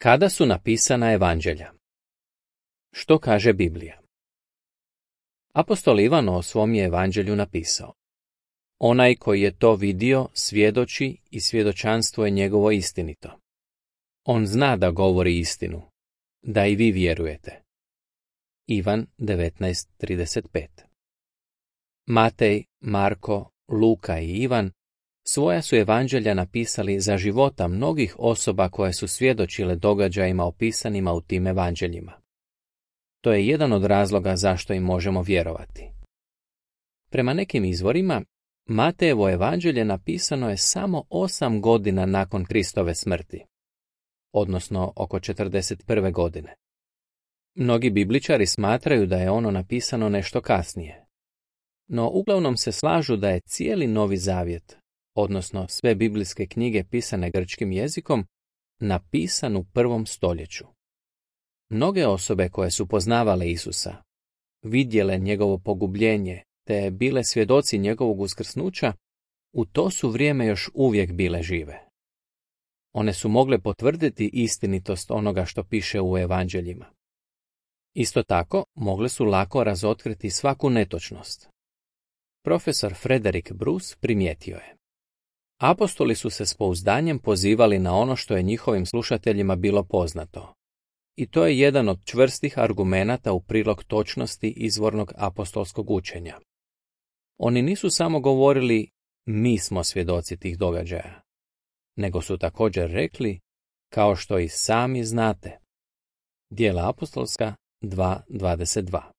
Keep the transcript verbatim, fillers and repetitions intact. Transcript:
Kada su napisana evanđelja? Što kaže Biblija? Apostol Ivan o svom je evanđelju napisao: Onaj koji je to vidio svjedoči i svjedočanstvo je njegovo istinito. On zna da govori istinu, da i vi vjerujete. Ivan devetnaest trideset pet. Matej, Marko, Luka i Ivan svoja su evanđelja napisali za života mnogih osoba koje su svjedočile događajima opisanima u tim evanđeljima. To je jedan od razloga zašto im možemo vjerovati. Prema nekim izvorima, Matejevo evanđelje napisano je samo osam godina nakon Kristove smrti, odnosno oko četrdeset prve godine. Mnogi bibličari smatraju da je ono napisano nešto kasnije, no uglavnom se slažu da je cijeli Novi Zavjet, odnosno sve biblijske knjige pisane grčkim jezikom, napisan u prvom stoljeću. Mnoge osobe koje su poznavale Isusa, vidjele njegovo pogubljenje te bile svjedoci njegovog uskrsnuća, u to su vrijeme još uvijek bile žive. One su mogle potvrditi istinitost onoga što piše u evanđeljima. Isto tako, mogle su lako razotkriti svaku netočnost. Profesor Frederick Bruce primijetio je: apostoli su se s pouzdanjem pozivali na ono što je njihovim slušateljima bilo poznato. I to je jedan od čvrstih argumenata u prilog točnosti izvornog apostolskog učenja. Oni nisu samo govorili mi smo svjedoci tih događaja, nego su također rekli kao što i sami znate. Djela apostolska dva dvadeset dva.